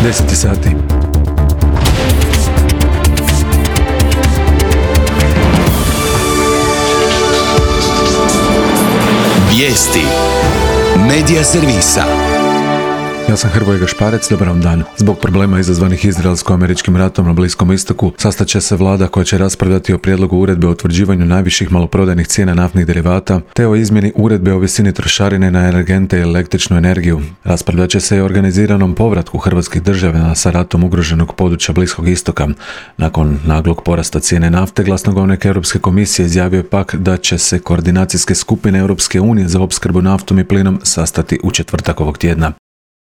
10 sati. Vijesti Medija servisa. Ja sam Hrvoje Gašparec, dobar vam dan. Zbog problema izazvanih izraelsko-američkim ratom na Bliskom istoku, sastat će se vlada koja će raspravljati o prijedlogu uredbe o utvrđivanju najviših maloprodajnih cijena naftnih derivata, te o izmjeni uredbe o visini trošarine na energente i električnu energiju. Raspravljat će se i o organiziranom povratku hrvatskih državljana sa ratom ugroženog područja Bliskog istoka. Nakon naglog porasta cijene nafte, glasnogovornik Europske komisije izjavio je pak da će se koordinacijske skupine Europske unije za opskrbu naftom i plinom sastati u četvrtak ovog tjedna.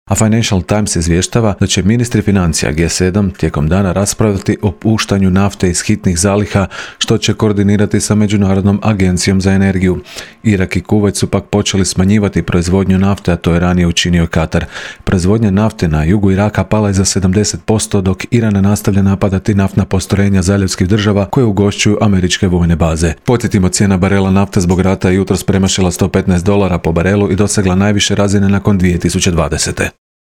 A Financial Times izvještava da će ministri financija G7 tijekom dana raspravljati o puštanju nafte iz hitnih zaliha, što će koordinirati sa Međunarodnom agencijom za energiju. Irak i Kuvajt su pak počeli smanjivati proizvodnju nafte, a to je ranije učinio Katar. Proizvodnja nafte na jugu Iraka pala je za 70%, dok Iran nastavlja napadati naftna postrojenja zaljevskih država koje ugošćuju američke vojne baze. Podsjetimo, cijena barela nafte zbog rata je jutros premašila $115 po barelu i dosegla najviše razine nakon 2020.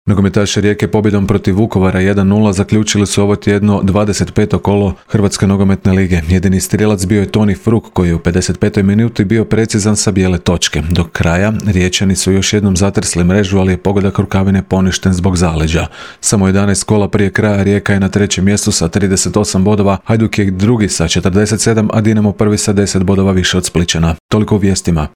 Nogometaši Rijeke pobjedom protiv Vukovara 1:0 zaključili su ovo tjedno 25. kolo Hrvatske nogometne lige. Jedini strijelac bio je Toni Fruk, koji je u 55. minuti bio precizan sa bijele točke. Do kraja Riječani su još jednom zatresli mrežu, ali je pogodak rukavine poništen zbog zaleđa. Samo 11 kola prije kraja Rijeka je na trećem mjestu sa 38 bodova, Hajduk je drugi sa 47, a Dinamo prvi sa 10 bodova više od Splićana. Toliko u vijestima.